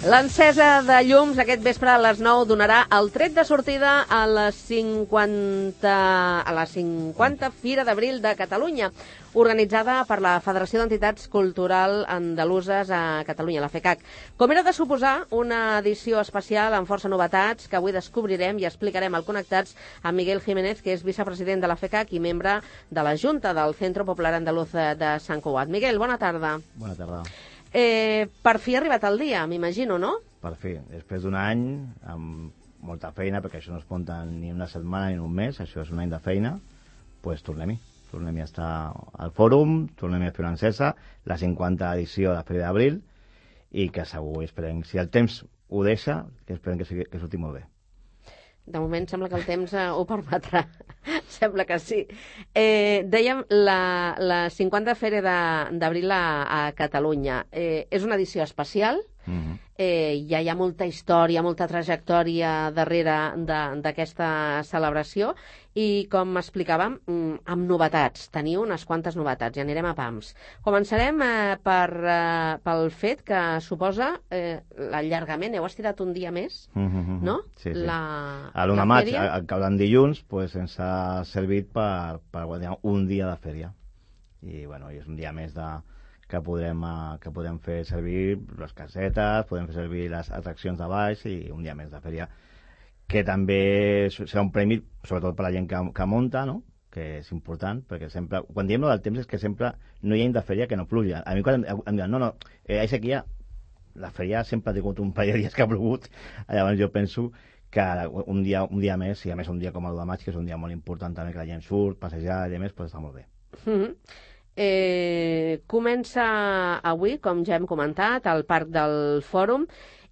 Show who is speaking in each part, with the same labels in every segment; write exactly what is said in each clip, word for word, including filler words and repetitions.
Speaker 1: L'encesa de llums aquest vespre a les nou donarà el tret de sortida a la cinquanta, a la cinquanta Fira d'Abril de Catalunya, organitzada per la Federació d'Entitats Cultural Andaluses a Catalunya, la FECAC. Com era de suposar, una edició especial amb força novetats que avui descobrirem i explicarem al Connectats amb Miguel Jiménez, que és vicepresident de la FECAC i membre de la Junta del Centro Popular Andaluz de Sant Cugat. Miguel, bona tarda.
Speaker 2: Bona tarda.
Speaker 1: Eh, per fi ha arribat el dia, m'imagino, no?
Speaker 2: Per fi. Després d'un any, amb molta feina, perquè això no es munta ni una setmana ni un mes, això és un any de feina, doncs pues tornem-hi. Tornem-hi a estar al fòrum, tornem-hi a fer una encesa, la cinquanta edició de la Fira d'Abril, i que segur, esperem, si el temps ho deixa, que esperem que, sigui, que surti molt bé.
Speaker 1: De moment sembla que el temps eh, ho permetrà. Sembla que sí. Eh, dèiem, la, la cinquanta Fira d'Abril a, a Catalunya eh, és una edició especial. Uh-huh. eh, ja hi ha molta història, molta trajectòria darrere d'aquesta celebració i, com explicàvem, amb novetats. Teniu unes quantes novetats i anirem a pams. Començarem eh, per, eh, pel fet que suposa eh, l'allargament. Heu estirat un dia més, uh-huh. no?
Speaker 2: Sí, sí.
Speaker 1: La,
Speaker 2: a l'u de maig, al cap d'en dilluns, pues, ens ha servit per, per guanyar un dia de fèria. I, bueno, és un dia més de que podem, uh, que podem fer servir les casetes, podem fer servir les atraccions de baix i un dia més de fèria, que també serà un premi, sobretot per la gent que, que munta, no? Que és important, perquè sempre, quan diem no del temps és que sempre no hi ha any de fèria que no pluja. A mi quan em, em diuen, no, no, eh, a sequia, la fèria sempre ha tingut un parell de dies que ha plogut, llavors jo penso que un dia, un dia més, i a més un dia com el de maig, que és un dia molt important també, que la gent surt, passejar i a més, pues està molt bé.
Speaker 1: Mm-hmm. Eh, comença avui, com ja hem comentat, al Parc del Fòrum,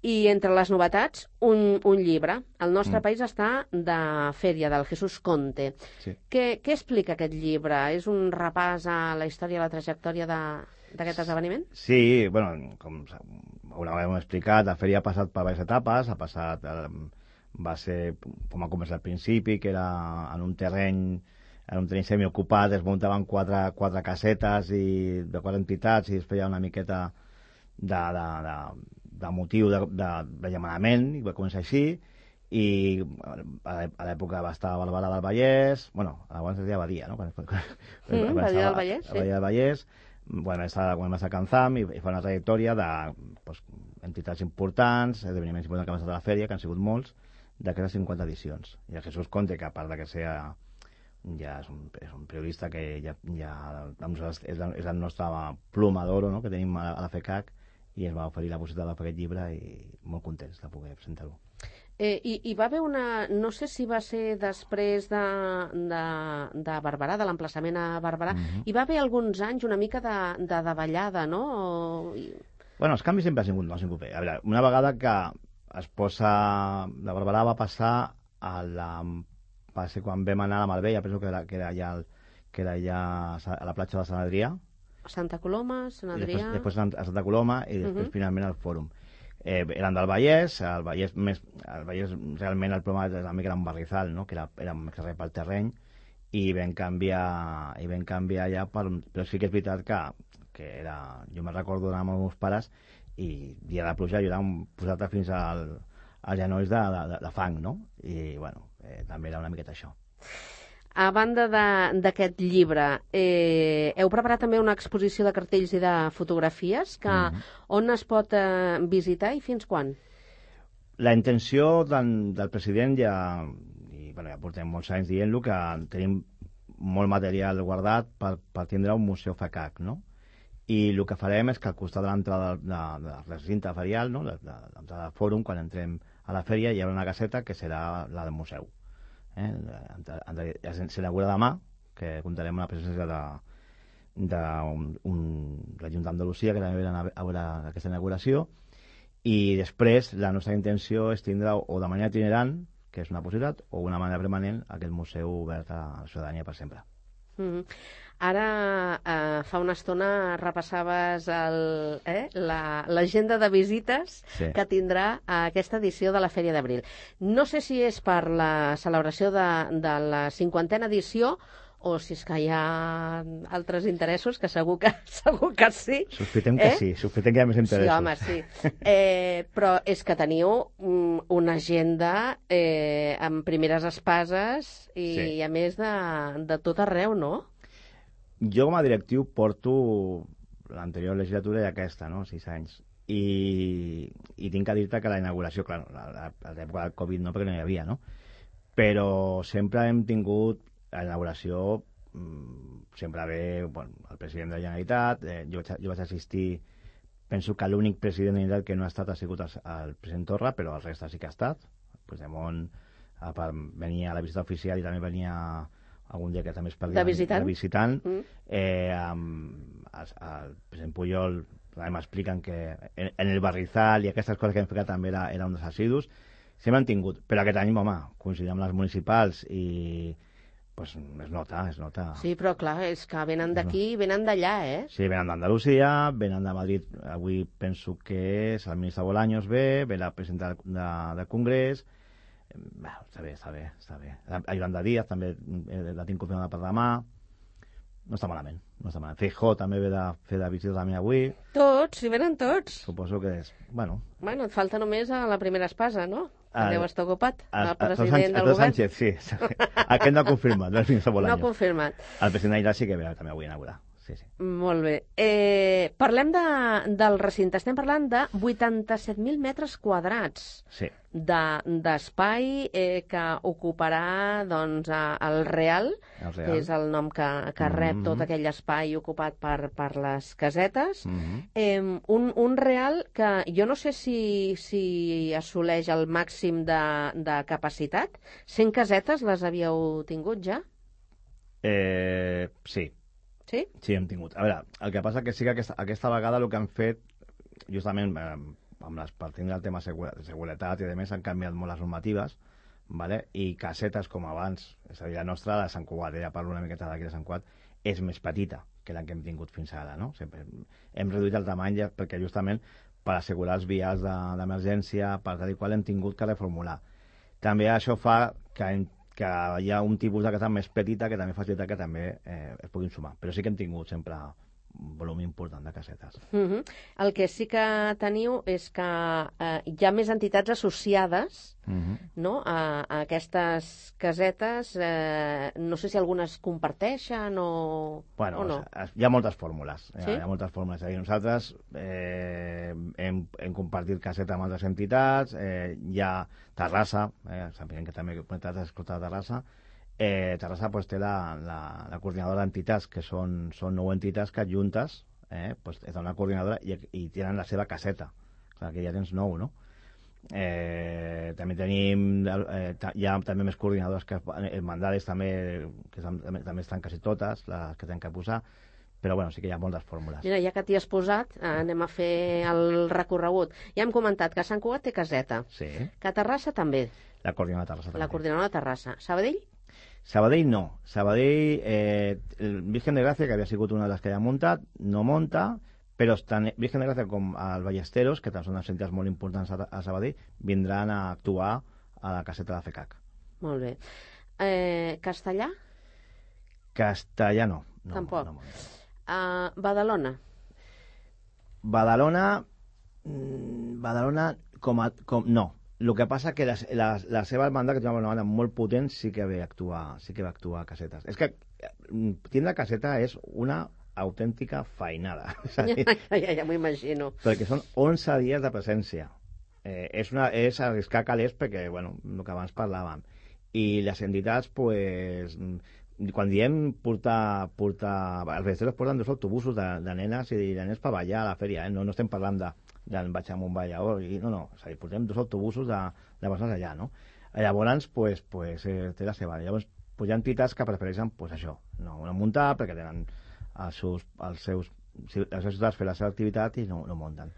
Speaker 1: i entre les novetats, un, un llibre. El nostre mm. país està de fèria, del Jesús Conte.
Speaker 2: Sí.
Speaker 1: Què, què explica aquest llibre? És un repàs a la història i la trajectòria d'aquest esdeveniment?
Speaker 2: Sí, bueno, com una vegada hem explicat, la fèria ha passat per diverses etapes, ha passat, eh, va ser, com ha començat al principi, que era en un terreny en un terreny semiocupat, es muntaven quatre, quatre casetes i de quatre entitats i es feia una miqueta de, de, de, de motiu de, de, de llamanament, i va començar així, i a l'època va estar a Barberà del Vallès, bueno, abans es deia Badia, no?
Speaker 1: Mm, Badia del Vallès, sí.
Speaker 2: Badia del Vallès, bueno, quan va estar a Canzam i, i fa una trajectòria de pues, entitats importants, esdeveniments importants que han estat a la fèria, que han sigut molts, d'aquestes cinquanta edicions. I el Jesús Conte, que a part de que sea ja és un, és un periodista que ja, ja és, és el nostre pluma d'oro, no?, que tenim a, a la FECAC, i ens va oferir la possibilitat de fer aquest llibre i molt contents de poder presentar-ho.
Speaker 1: Eh, i, I va haver una... No sé si va ser després de, de, de Barberà, de l'emplaçament a Barberà, uh-huh. hi va haver alguns anys una mica de, de davallada, no? O...
Speaker 2: Bueno, els canvis sempre han sigut, no han sigut bé. A veure, una vegada que es posa... De Barberà va passar a la... va ser quan vam anar a la Marbella, penso que era, que era, allà, que era allà a la platja de Sant Adrià.
Speaker 1: Santa Coloma, Sant Adrià...
Speaker 2: Després, després a Santa Coloma i després uh-huh. finalment al Fòrum. Eh, eren del Vallès, el Vallès, més, el Vallès realment el problema era una mica un barrizal, no? Que era, era més res pel terreny, i vam canviar, i vam canviar allà, per, però sí que és veritat que, que era... Jo me'n recordo d'anar amb els meus pares i dia de pluja jo era posat fins al, als genolls de, de, de fang, no? I, bueno, Eh, també era una miqueta això.
Speaker 1: A banda d'aquest llibre, eh, heu preparat també una exposició de cartells i de fotografies que mm-hmm. on es pot eh, visitar i fins quan?
Speaker 2: La intenció del, del president ja, i bueno, ja portem molts anys dient-lo, que tenim molt material guardat per, per tindre un museu FECAC, no? I el que farem és que al costat de l'entrada de, de, de la recinte ferial, no? de, de, de l'entrada del fòrum, quan entrem a la fèria, hi haurà una caseta que serà la del museu. Eh? S'inaugura demà, que comptarem amb la presència de, de un, un, l'Ajuntament d'Andalusia, que també verà a veure aquesta inauguració, i després la nostra intenció és tindre o de manera itinerant, que és una possibilitat, o una manera permanent, aquest museu obert a la ciutadania per sempre.
Speaker 1: Mm-hmm. Ara, eh, fa una estona repassaves el, eh, l'agenda de visites sí. que tindrà aquesta edició de la Fèria d'Abril. No sé si és per la celebració de, de la cinquantena edició o si és que hi ha altres interessos, que segur que, segur que sí.
Speaker 2: Sospitem que
Speaker 1: eh?
Speaker 2: sí, sospitem que hi ha més interessos.
Speaker 1: Sí, home, sí. Eh, però és que teniu una agenda eh, amb primeres espases i, sí. a més de, de tot arreu, no?
Speaker 2: Jo com a directiu porto l'anterior legislatura i aquesta, no? Sis anys. I, i tinc que dir-te que la inauguració, clar, a l'època del Covid no, perquè no hi havia, no? Però sempre hem tingut a la inauguració, sempre ve bueno, el president de la Generalitat, eh, jo, vaig, jo vaig assistir, penso que l'únic president de la Generalitat que no ha estat ha sigut el, el president Torra, però el reste sí que ha estat. Puigdemont venia a la visita oficial i també venia algun dia que també es parlia
Speaker 1: de visitant,
Speaker 2: de visitant. Mm. Eh, amb, el, el president Pujol m'expliquen que en, en el barrizal i aquestes coses que hem fet també era, era un dels assidus, sempre han tingut, però aquest any, home, coincidim amb les municipals i pues es nota, es nota.
Speaker 1: Sí, però clar, és que venen d'aquí i venen d'allà, eh?
Speaker 2: Sí, venen d'Andalusia, venen de Madrid, avui penso que és el ministre Bolaños ve, ve la presidenta de, de Congrés, bueno, està bé, està bé, està bé. Yolanda Díaz també la tinc confirmada per demà. No està malament, no està malament. Feijóo també ve de fer de visita també avui.
Speaker 1: Tots, si venen tots.
Speaker 2: Suposo que és, bueno...
Speaker 1: Bueno, et falta només a la primera espasa, no? El, deu estar ocupat, el, el president
Speaker 2: Sánchez,
Speaker 1: del govern.
Speaker 2: Sánchez, sí. Aquest no ha confirmat, no és ministre Bolaños.
Speaker 1: No ha confirmat.
Speaker 2: El president Aguilar sí que ve també avui a inaugurar. Sí, sí.
Speaker 1: Molt bé. Eh, parlem de, del recinte. Estem parlant de vuitanta-set mil metres quadrats
Speaker 2: sí.
Speaker 1: d'espai de, eh, que ocuparà doncs, el Real,
Speaker 2: el Real,
Speaker 1: que és el nom que, que rep mm -hmm. tot aquell espai ocupat per, per les casetes. Mm -hmm. eh, un, un Real que jo no sé si, si assoleix el màxim de, de capacitat. cent casetes les havíeu tingut ja?
Speaker 2: Eh, sí.
Speaker 1: Sí?
Speaker 2: Sí, hem tingut. A veure, el que passa que sí que aquesta, aquesta vegada el que han fet, justament eh, amb les, per tindre el tema de seguretat i a més han canviat molt les normatives, vale? I casetes com abans, és a dir, la nostra, la de Sant Cugat, ja parlo una miqueta d'aquí de Sant Cugat, és més petita que la que hem tingut fins ara, no? Sempre hem reduït el tamany ja perquè justament per assegurar els vials d'emergència, per tal i qual hem tingut que reformular. També això fa que hem que hi ha un tipus de casa més petita que també facilita que també eh, es puguin sumar. Però sí que hem tingut sempre un volum important de casetes.
Speaker 1: Uh-huh. El que sí que teniu és que eh, hi ha més entitats associades uh-huh. no? a, a aquestes casetes. Eh, no sé si algunes comparteixen o,
Speaker 2: bueno,
Speaker 1: o no.
Speaker 2: Hi ha moltes fórmules.
Speaker 1: Sí?
Speaker 2: Hi ha moltes fórmules. És a dir, nosaltres eh, hem, hem compartit caseta amb altres entitats. Eh, hi ha Terrassa, eh, sabien que també has escoltat Terrassa. Eh, Terrassa pues, té la, la, la coordinadora d'entitats, que són, són nou entitats que juntes eh, pues, és una coordinadora i, i tenen la seva caseta. Clar que ja tens nou, no? Eh, també tenim eh, hi ha també més coordinadores que mandades també, que també, també estan quasi totes les que tenen que posar, però bueno, sí que hi ha moltes fórmules.
Speaker 1: Mira, ja que t'hi has posat, eh, anem a fer el recorregut. Ja hem comentat que Sant Cugat té caseta,
Speaker 2: sí.
Speaker 1: Que Terrassa també.
Speaker 2: La coordinadora de Terrassa també.
Speaker 1: La coordinadora de Terrassa. Sabadell?
Speaker 2: Sabadell no. Sabadell, eh, el Virgen de Gràcia, que havia sigut una de les que ja ha muntat, no monta, però tant Virgen de Gràcia com el Ballesteros, que també són unes entitats molt importants a Sabadell, vindran a actuar a la caseta de FECAC.
Speaker 1: Molt bé. Eh, Castellà?
Speaker 2: Castellà no. no
Speaker 1: Tampoc.
Speaker 2: No, no
Speaker 1: uh, Badalona?
Speaker 2: Badalona... Badalona com a... Com, no. El que passa que la, la, la seva hermandad, que té una banda molt potent, sí que ve actuar, sí que va actuar a casetes. És que tindre caseta és una autèntica feinada.
Speaker 1: Ja, ja, ja m'ho imagino.
Speaker 2: Perquè són onze dies de presència. Eh, és, una, és arriscar calés perquè, bueno, el que abans parlàvem. I les entitats, pues, quan diem portar... portar els ballesteros porten dos autobusos de, de nenes i de nens per ballar a la fèria, eh? No, no estem parlant de d'en vaig amb un ballador, i no, no, és a dir, portem dos autobusos de, de persones allà, no? Llavors, pues, pues, eh, té la seva. Llavors, pues, hi ha entitats que prefereixen, pues, això, no, no muntar, perquè tenen els seus, els seus, les seves ciutats fer la seva activitat i no, no munten.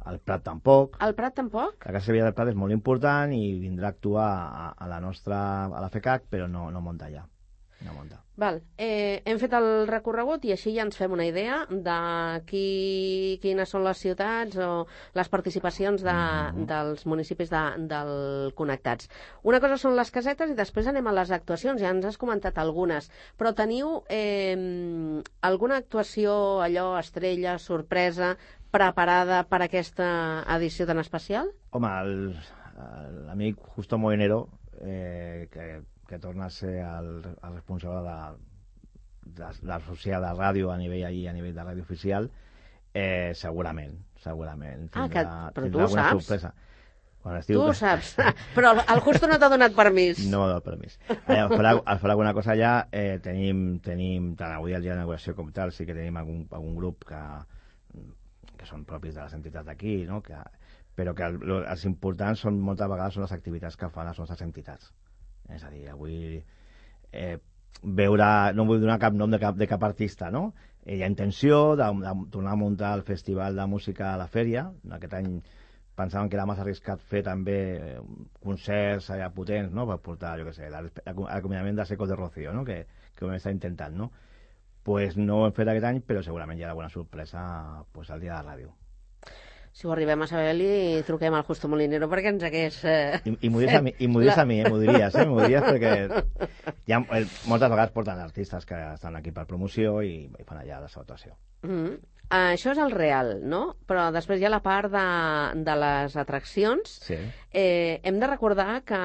Speaker 2: El Prat tampoc.
Speaker 1: El Prat tampoc?
Speaker 2: La Casa Sevilla del Prat és molt important i vindrà a actuar a, a la nostra, a la FECAC, però no, no munta allà. Una monta.
Speaker 1: Val. Eh, hem fet el recorregut i així ja ens fem una idea de qui, quines són les ciutats o les participacions de, mm-hmm. dels municipis de, del Connectats. Una cosa són les casetes i després anem a les actuacions. Ja ens has comentat algunes, però teniu eh, alguna actuació, allò, estrella, sorpresa, preparada per aquesta edició tan especial?
Speaker 2: Home, l'amic Justo Molinero, eh, que que torna a ser el, el responsable de, de, de l'associació de ràdio a nivell allí, a nivell de ràdio oficial, eh, segurament, segurament.
Speaker 1: Ah, que, però tu ho saps.
Speaker 2: Sorpresa. Quan
Speaker 1: tu ho saps, però el Justo no t'ha donat permís.
Speaker 2: No m'ha donat permís. Allà, al, fer, al fer alguna cosa allà, eh, tenim, tenim, tant avui al dia d'inauguració com tal, sí que tenim algun, algun grup que, que són propis de les entitats d'aquí, no? que, però que el, els importants són moltes vegades són les activitats que fan les nostres entitats. És a dir, avui eh, veure, no vull donar cap nom de cap, de cap artista, no? Eh, hi ha intenció de, de tornar a muntar el Festival de Música a la Fèria. Aquest any pensàvem que era massa arriscat fer també eh, concerts allà potents, no? Per portar, jo què sé, l'acompanyament de Secos de Rocío, no? Que, que ho hem estat intentant, no? Pues no ho hem fet aquest any, però segurament hi ha alguna sorpresa pues, al dia de la ràdio.
Speaker 1: Si ho arribem a saber, li truquem al Justo Molinero perquè ens hagués... Eh,
Speaker 2: I, i m'ho diries a mi, i m'ho diries a mi, eh? M'ho diries, eh? M'ho diries perquè hi ha, eh, moltes vegades porten artistes que estan aquí per promoció i, i fan allà la seva actuació.
Speaker 1: Mm-hmm. Uh, això és el real, no? Però després hi ha la part de, de les atraccions.
Speaker 2: Sí.
Speaker 1: Eh, hem de recordar que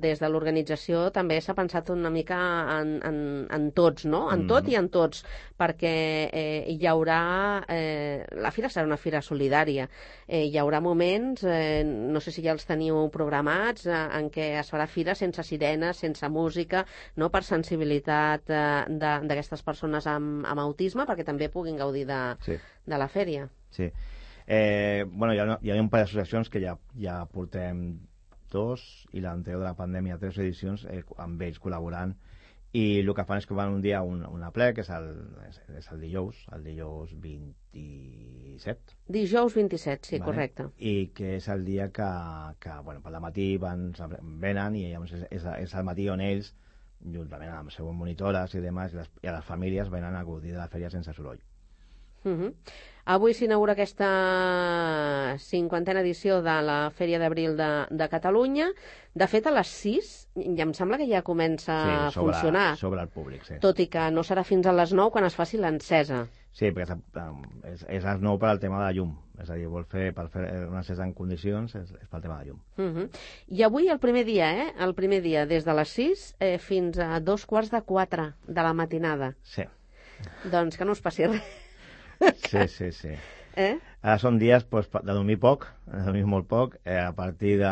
Speaker 1: des de l'organització també s'ha pensat una mica en, en, en tots, no? En tot mm. i en tots, perquè eh, hi haurà... Eh, la fira serà una fira solidària. Eh, hi haurà moments, eh, no sé si ja els teniu programats, eh, en què es farà fira sense sirenes, sense música, no? Per sensibilitat eh, d'aquestes persones amb, amb autisme, perquè també puguin gaudir de, sí. de la fèria.
Speaker 2: Sí. Eh, bueno, hi ha, hi ha un parell d'associacions que ja, ja portem dos i l'anterior de la pandèmia tres edicions eh, amb ells col·laborant i el que fan és que van un dia a un, una ple que és el, és, és el dijous el dijous vint-i-set
Speaker 1: dijous vint-i-set, sí, vale. Correcte,
Speaker 2: i que és el dia que, que bueno, per la matí van, venen i és, és, és el matí on ells juntament amb les seves monitores i demás i les, i les famílies venen a gaudir de la fèria sense soroll.
Speaker 1: Uh-huh. Avui s'inaugura aquesta cinquantena edició de la Fèria d'Abril de, de Catalunya. De fet, a les sis ja em sembla que ja comença
Speaker 2: sí,
Speaker 1: a
Speaker 2: sobre,
Speaker 1: funcionar.
Speaker 2: Sobre el públic, sí.
Speaker 1: Tot i que no serà fins a les nou quan es faci l'encesa.
Speaker 2: Sí, perquè és, és a les nou per al tema de la llum. És a dir, vol fer, per fer una encesa en condicions és, és pel tema de la llum.
Speaker 1: Uh-huh. I avui el primer dia, eh? El primer dia, des de les sis eh, fins a dos quarts de quatre de la matinada.
Speaker 2: Sí.
Speaker 1: Doncs que no us passi res.
Speaker 2: Sí, sí, sí.
Speaker 1: Eh?
Speaker 2: Ara són dies pues, de dormir poc, de dormir molt poc. Eh, a partir de,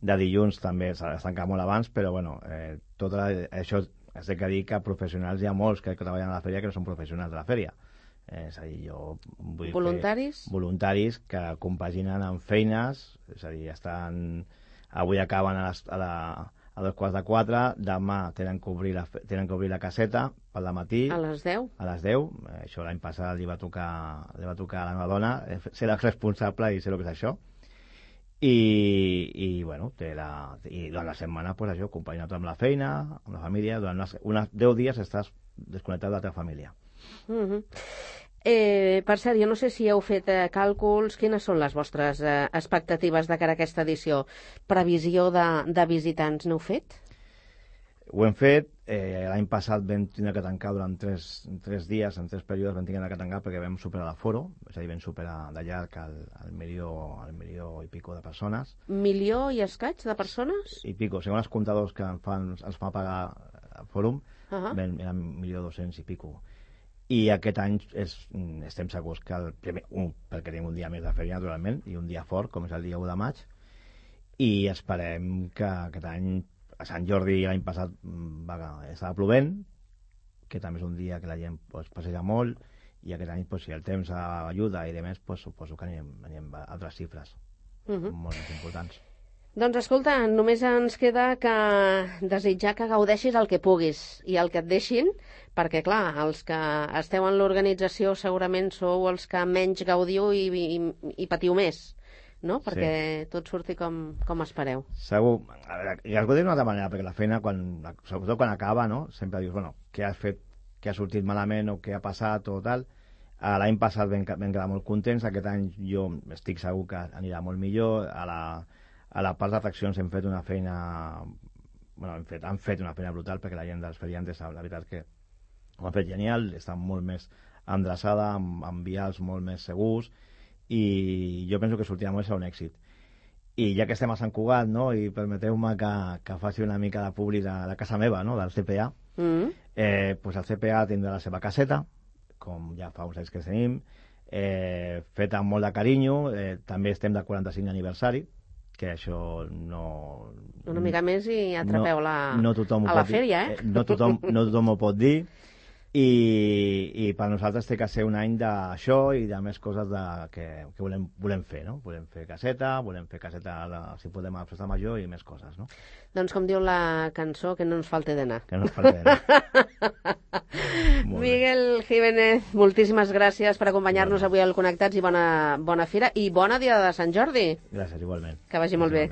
Speaker 2: de dilluns també s'ha de tancar molt abans, però bueno, eh, tot la, això és de que dir que professionals hi ha molts que treballen a la fèria que no són professionals de la fèria. Eh, és a dir, jo vull
Speaker 1: voluntaris?
Speaker 2: Fer voluntaris que compaginen amb feines, és a dir, estan... Avui acaben a, les, a la... a dos quarts de quatre, demà tenen que obrir la, tenen que obrir la caseta pel matí.
Speaker 1: A les deu?
Speaker 2: A les deu. Això l'any passat li va tocar, li va tocar a la meva dona ser la responsable i sé el que és això. I, i bueno, té la, i durant la setmana, pues això, acompanyat amb la feina, amb la família, durant unes, unes deu dies estàs desconnectat de la teva família.
Speaker 1: Mhm. Eh, per cert, jo no sé si heu fet eh, càlculs, quines són les vostres eh, expectatives de cara a aquesta edició? Previsió de, de visitants n'heu fet?
Speaker 2: Ho hem fet, eh, l'any passat vam tindre que tancar durant tres, tres dies, en tres períodes vam tindre que tancar perquè vam superar l'aforo, és a dir, vam superar de llarg el, el, milió, el milió i pico de persones.
Speaker 1: Milió i escaig de persones?
Speaker 2: I pico, segons els comptadors que fan, ens fan pagar al fòrum,
Speaker 1: uh-huh.
Speaker 2: vam, eren milió dos-cents i pico. I aquest any és, estem segurs que el primer, un, perquè tenim un dia més de fèria naturalment i un dia fort com és el dia u de maig i esperem que aquest any a Sant Jordi l'any passat va, estava plovent, que també és un dia que la gent pues, passeja molt i aquest any pues, si el temps ajuda i de més pues, suposo que anirem, anirem a altres xifres uh-huh. molt més importants.
Speaker 1: Doncs escolta, només ens queda que desitjar que gaudeixis el que puguis i el que et deixin, perquè clar, els que esteu en l'organització segurament sou els que menys gaudiu i, i, i patiu més, no? Perquè sí. tot surti com, com espereu.
Speaker 2: Segur. A veure, i es pot dir d'una altra manera, perquè la feina, quan, sobretot quan acaba, no? Sempre dius, bueno, què has fet, què ha sortit malament o què ha passat o tal. L'any passat vam, vam quedar molt contents, aquest any jo estic segur que anirà molt millor. A la, a la part d'atraccions hem fet una feina... Bueno, hem fet, han fet una feina brutal, perquè la gent dels feriantes, la veritat és que ho han fet genial, està molt més endreçada, amb, amb vials molt més segurs, i jo penso que sortirà molt, serà un èxit. I ja que estem a Sant Cugat, no, i permeteu-me que, que faci una mica de públic de la casa meva, no, del C P A, mm. eh, pues el C P A tindrà la seva caseta, com ja fa uns anys que tenim, eh, feta amb molt de carinyo, eh, també estem del quaranta-cinc aniversari, que això no...
Speaker 1: Una mica més i atrapeu
Speaker 2: no,
Speaker 1: la,
Speaker 2: no a
Speaker 1: la fèria, eh?
Speaker 2: No tothom, no tothom ho pot dir, i, i per nosaltres té que ser un any d'això i de més coses de, que, que volem, volem fer, no? Volem fer caseta, volem fer caseta, la, si podem, a Festa Major i més coses, no?
Speaker 1: Doncs com diu la cançó, que no ens falte d'anar.
Speaker 2: Que no ens falte d'anar.
Speaker 1: Miguel Jiménez, moltíssimes gràcies per acompanyar-nos avui al Connectats i bona, bona fira i bona dia de Sant Jordi.
Speaker 2: Gràcies, igualment.
Speaker 1: Que vagi molt bé.